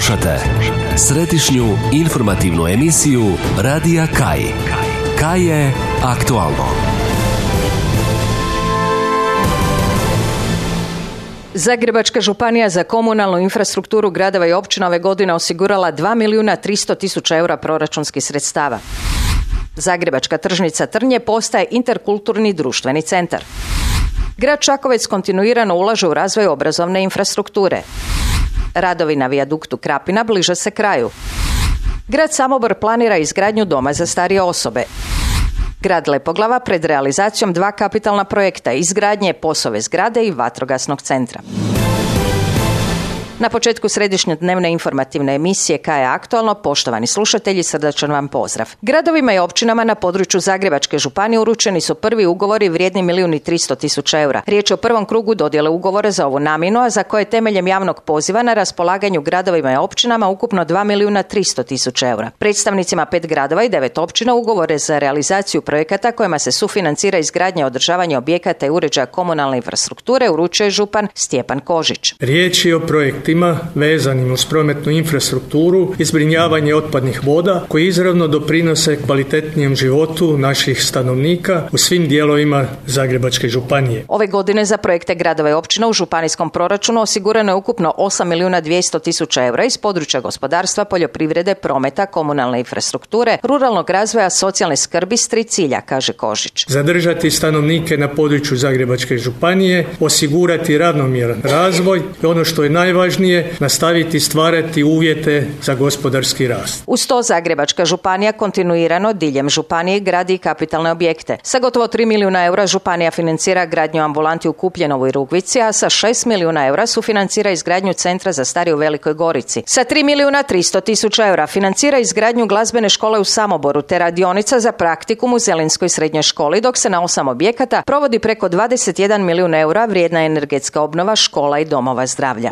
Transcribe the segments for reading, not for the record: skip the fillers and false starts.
Slušate središnju informativnu emisiju Radija Kaj. Kaj je aktualno. Zagrebačka županija za komunalnu infrastrukturu gradova i općina ove godine osigurala 2.300.000 eura proračunskih sredstava. Zagrebačka tržnica Trnje postaje interkulturni društveni centar. Grad Čakovec kontinuirano ulaže u razvoj obrazovne infrastrukture. Radovi na vijaduktu Krapina bliže se kraju. Grad Samobor planira izgradnju doma za starije osobe. Grad Lepoglava pred realizacijom 2 kapitalna projekta, izgradnje POS-ove zgrade i vatrogasnog centra. Na početku središnje dnevne informativne emisije Kaj je aktualno, poštovani slušatelji, srdačan vam pozdrav. Gradovima i općinama na području Zagrebačke županije uručeni su prvi ugovori vrijedni 1.300.000 eura. Riječ je o prvom krugu dodjele ugovora za ovu namjenu, a za koje temeljem javnog poziva na raspolaganju gradovima i općinama ukupno 2.300.000 eura. Predstavnicima 5 gradova i 9 općina ugovore za realizaciju projekata kojima se sufinancira izgradnja i održavanje objekata i uređaja komunalne infrastrukture uručuje župan Stjepan Kožić. Riječ je o projektima vezanim uz prometnu infrastrukturu i zbrinjavanje otpadnih voda koji izravno doprinose kvalitetnijem životu naših stanovnika u svim dijelovima Zagrebačke županije. Ove godine za projekte gradova i općina u županijskom proračunu osigurano je ukupno 8.200.000 eura iz područja gospodarstva, poljoprivrede, prometa, komunalne infrastrukture, ruralnog razvoja, socijalne skrbi s 3 cilja, kaže Kožić. Zadržati stanovnike na području Zagrebačke županije, osigurati ravnomjeran razvoj i ono što je najvažnije, nastaviti stvarati uvjete za gospodarski rast. Uz to Zagrebačka županija kontinuirano diljem županije gradi kapitalne objekte. Sa gotovo 3 milijuna eura županija financira gradnju ambulanti u Kupljenovoj i Rugvici, a sa 6 milijuna eura sufinancira izgradnju centra za starije u Velikoj Gorici. Sa 3.300.000 eura financira izgradnju glazbene škole u Samoboru te radionica za praktikum u Zelinskoj srednjoj školi, dok se na 8 objekata provodi preko 21 milijun eura vrijedna energetska obnova škola i domova zdravlja.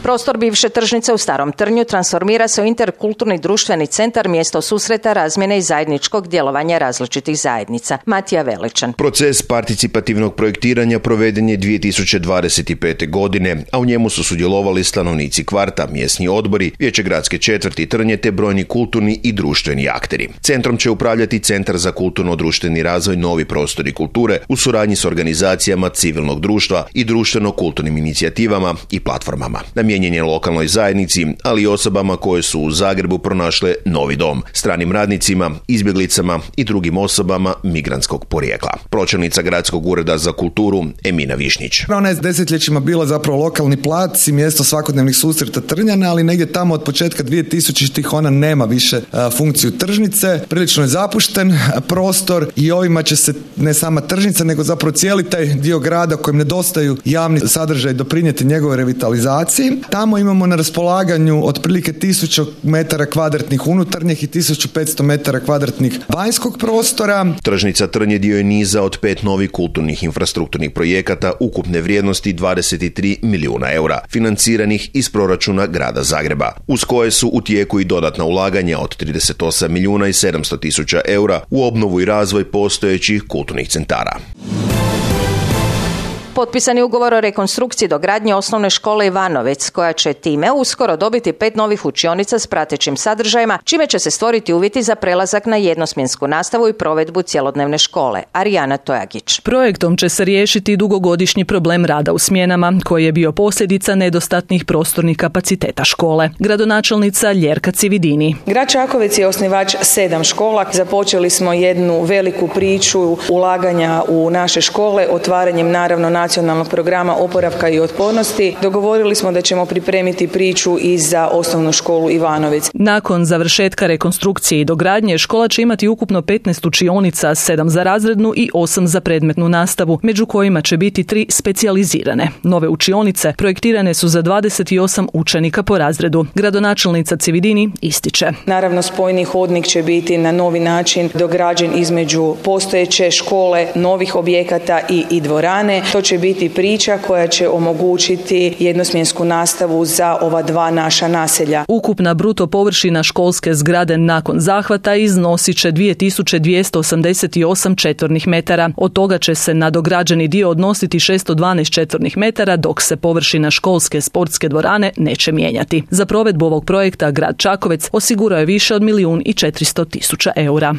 Prostor bivše tržnice u Starom Trnju transformira se u interkulturni društveni centar, mjesto susreta, razmjene i zajedničkog djelovanja različitih zajednica. Matija Veličan. Proces participativnog projektiranja proveden je 2025. godine, a u njemu su sudjelovali stanovnici kvarta, mjesni odbori, vijeće gradske četvrti Trnje te brojni kulturni i društveni akteri. Centrom će upravljati Centar za kulturno-društveni razvoj Novi prostori kulture u suradnji s organizacijama civilnog društva i društveno-kulturnim inicijativama i platformama. Namijenjen je lokalnoj zajednici, ali i osobama koje su u Zagrebu pronašle novi dom, stranim radnicima, izbjeglicama i drugim osobama migrantskog porijekla. Pročelnica Gradskog ureda za kulturu Emina Višnjić. Ona je desetljećima bila zapravo lokalni plac i mjesto svakodnevnih susreta Trnjana, ali negdje tamo od početka 2000-ih ona nema više funkciju tržnice. Prilično je zapušten prostor i ovima će se ne sama tržnica, nego zapravo cijeli taj dio grada kojem nedostaju javni sadržaj doprinijeti njegovoj revitalizaciji. Tamo imamo na raspolaganju otprilike 1000 metara kvadratnih unutarnjih i 1500 metara kvadratnih vanjskog prostora. Tržnica Trnje dio je niza od 5 novih kulturnih infrastrukturnih projekata ukupne vrijednosti 23 milijuna eura, financiranih iz proračuna grada Zagreba, uz koje su u tijeku i dodatna ulaganja od 38 milijuna i 700 tisuća eura u obnovu i razvoj postojećih kulturnih centara. Potpisan je ugovor o rekonstrukciji dogradnje osnovne škole Ivanovec, koja će time uskoro dobiti 5 novih učionica s pratećim sadržajima, čime će se stvoriti uvjeti za prelazak na jednosmjensku nastavu i provedbu cjelodnevne škole. Arijana Tojagić. Projektom će se riješiti dugogodišnji problem rada u smjenama, koji je bio posljedica nedostatnih prostornih kapaciteta škole. Gradonačelnica Ljerka Cividini. Grad Čakovec je osnivač 7 škola. Započeli smo jednu veliku priču ulaganja u naše škole, otvaranjem naravno nacionalnog programa oporavka i otpornosti. Dogovorili smo da ćemo pripremiti priču i za osnovnu školu Ivanovec. Nakon završetka rekonstrukcije i dogradnje, škola će imati ukupno 15 učionica, 7 za razrednu i 8 za predmetnu nastavu, među kojima će biti 3 specijalizirane. Nove učionice projektirane su za 28 učenika po razredu. Gradonačelnica Cividini ističe. Naravno, spojni hodnik će biti na novi način dograđen između postojeće škole, novih objekata i dvorane. To će će biti priča koja će omogućiti jednosmjensku nastavu za ova dva naša naselja. Ukupna bruto površina školske zgrade nakon zahvata iznosit će 2288 četvornih metara. Od toga će se na dograđeni dio odnositi 612 četvornih metara, dok se površina školske sportske dvorane neće mijenjati. Za provedbu ovog projekta grad Čakovec osigurao je više od 1.400.000 eura.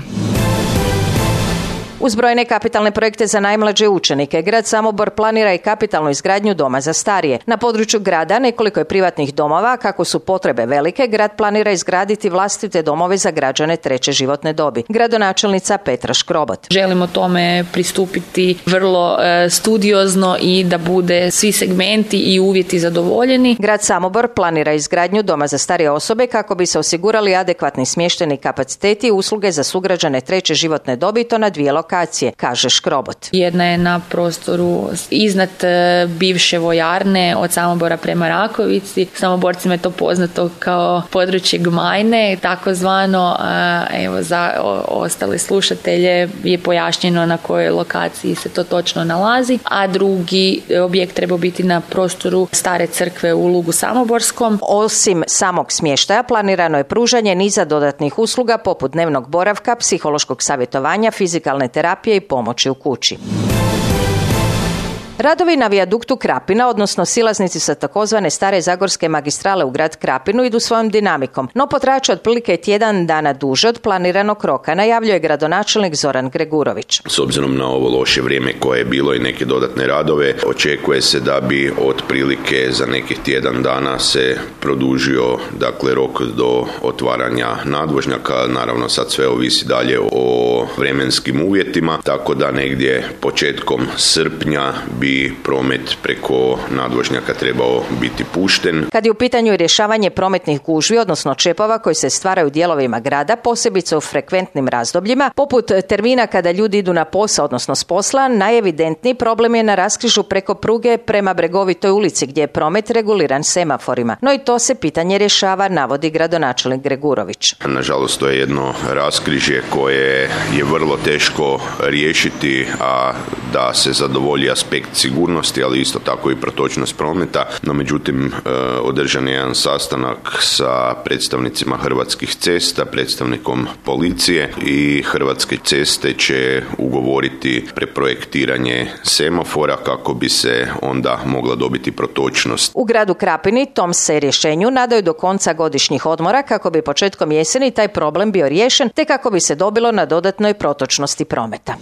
Uz brojne kapitalne projekte za najmlađe učenike, grad Samobor planira i kapitalnu izgradnju doma za starije. Na području grada nekoliko je privatnih domova, kako su potrebe velike, grad planira izgraditi vlastite domove za građane treće životne dobi. Gradonačelnica Petra Škrobot. Želimo tome pristupiti vrlo studiozno i da bude svi segmenti i uvjeti zadovoljeni. Grad Samobor planira izgradnju doma za starije osobe kako bi se osigurali adekvatni smještajni kapaciteti i usluge za sugrađane treće životne dobi, to na 2 lokacije, kaže Škrobot. Jedna je na prostoru iznad bivše vojarne od Samobora prema Rakovici. Samoborcima je to poznato kao područje Gmajne, takozvano. Evo, za ostale slušatelje je pojašnjeno na kojoj lokaciji se to točno nalazi, a drugi objekt treba biti na prostoru stare crkve u Lugu Samoborskom. Osim samog smještaja planirano je pružanje niza dodatnih usluga poput dnevnog boravka, psihološkog savjetovanja, fizikalne terapije i pomoći u kući. Radovi na vijaduktu Krapina, odnosno silaznici sa takozvane stare zagorske magistrale u grad Krapinu, idu svojom dinamikom, no potraće otprilike tjedan dana duže od planiranog roka, najavljuje gradonačelnik Zoran Gregurović. S obzirom na ovo loše vrijeme koje je bilo i neke dodatne radove, očekuje se da bi otprilike za nekih tjedan dana se produžio rok do otvaranja nadvožnjaka. Naravno sad sve ovisi dalje o vremenskim uvjetima, tako da negdje početkom srpnja bi promet preko nadvožnjaka trebao biti pušten. Kad je u pitanju rješavanje prometnih gužvi, odnosno čepova koji se stvaraju u dijelovima grada, posebice u frekventnim razdobljima, poput termina kada ljudi idu na posao, odnosno s posla, najevidentniji problem je na raskrižju preko pruge prema Bregovitoj ulici, gdje je promet reguliran semaforima. No i to se pitanje rješava, navodi gradonačelnik Gregurović. Nažalost, to je jedno raskrižje koje je vrlo teško riješiti, a da se zadovolji aspekt sigurnosti, ali isto tako i protočnost prometa. No, međutim, održan je jedan sastanak sa predstavnicima Hrvatskih cesta, predstavnikom policije, i Hrvatske ceste će ugovoriti preprojektiranje semafora kako bi se onda mogla dobiti protočnost. U gradu Krapini tom se rješenju nadaju do konca godišnjih odmora kako bi početkom jeseni taj problem bio riješen, te kako bi se dobilo na dodatnoj protočnosti prometa.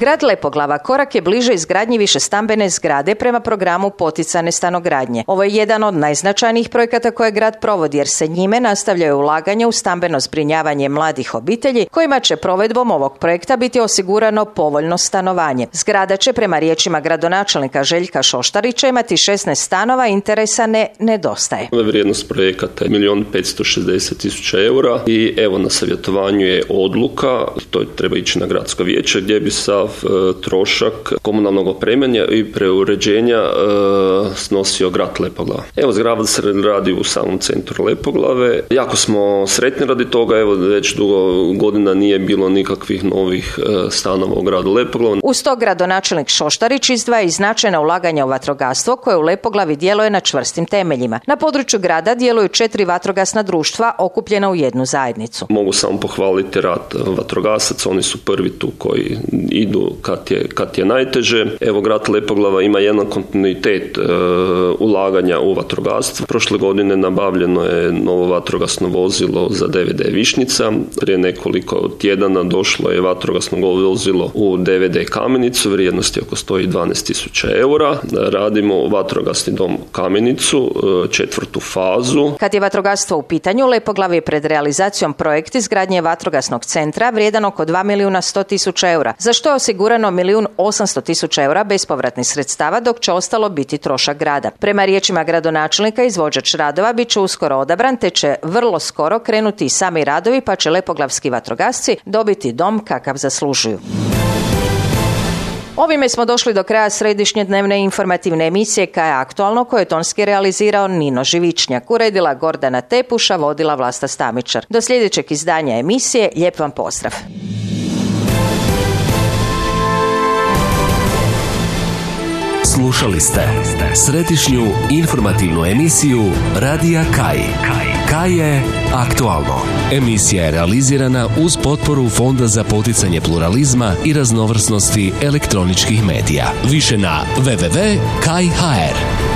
Grad Lepoglava korak je bliže izgradnji višestambene zgrade prema programu poticane stanogradnje. Ovo je jedan od najznačajnijih projekata koje grad provodi, jer se njime nastavljaju ulaganje u stambeno zbrinjavanje mladih obitelji, kojima će provedbom ovog projekta biti osigurano povoljno stanovanje. Zgrada će, prema riječima gradonačelnika Željka Šoštarića, imati 16 stanova, interesa ne nedostaje. Vrijednost projekata je 1.560.000 eura i evo na savjetovanju je odluka, to treba ići na gradsko vijeće, gdje bi sav trošak komunalnog opremanja i preuređenja snosio grad Lepoglava. Evo, zgrada se radi u samom centru Lepoglave. Jako smo sretni radi toga, evo već dugo godina nije bilo nikakvih novih stanova u gradu Lepoglava. Uz to gradonačelnik Šoštarić izdvaja i značajna ulaganja u vatrogastvo koje u Lepoglavi djeluje na čvrstim temeljima. Na području grada djeluju 4 vatrogasna društva okupljena u jednu zajednicu. Mogu samo pohvaliti rad vatrogasaca, oni su prvi tu koji idu kad je najteže. Evo, grad Lepoglava ima jedan kontinuitet ulaganja u vatrogastvo. Prošle godine nabavljeno je novo vatrogasno vozilo za DVD Višnjica. Prije nekoliko tjedana došlo je vatrogasno vozilo u DVD Kamenicu, vrijednosti oko 112.000 eura. Radimo vatrogasni dom Kamenicu, 4. fazu. Kad je vatrogastvo u pitanju, Lepoglav je pred realizacijom projekt izgradnje vatrogasnog centra vrijedan oko 2.100.000 eura, za što je osigurano 1.800.000 eura bespovratnih sredstava, dok će ostalo biti trošak grada. Prema riječima gradonačelnika, izvođač radova bit će uskoro odabran, te će vrlo skoro krenuti i sami radovi, pa će lepoglavski vatrogasci dobiti dom kakav zaslužuju. Ovime smo došli do kraja središnje dnevne informativne emisije KAJ Aktualno, koje je tonski realizirao Nino Živičnjak, uredila Gordana Tepuša, vodila Vlasta Stamičar. Do sljedećeg izdanja emisije, lijep vam pozdrav. Slušali ste središnju informativnu emisiju Radija Kaj. Kaj je aktualno. Emisija je realizirana uz potporu Fonda za poticanje pluralizma i raznovrsnosti elektroničkih medija. Više na www.kaj.hr.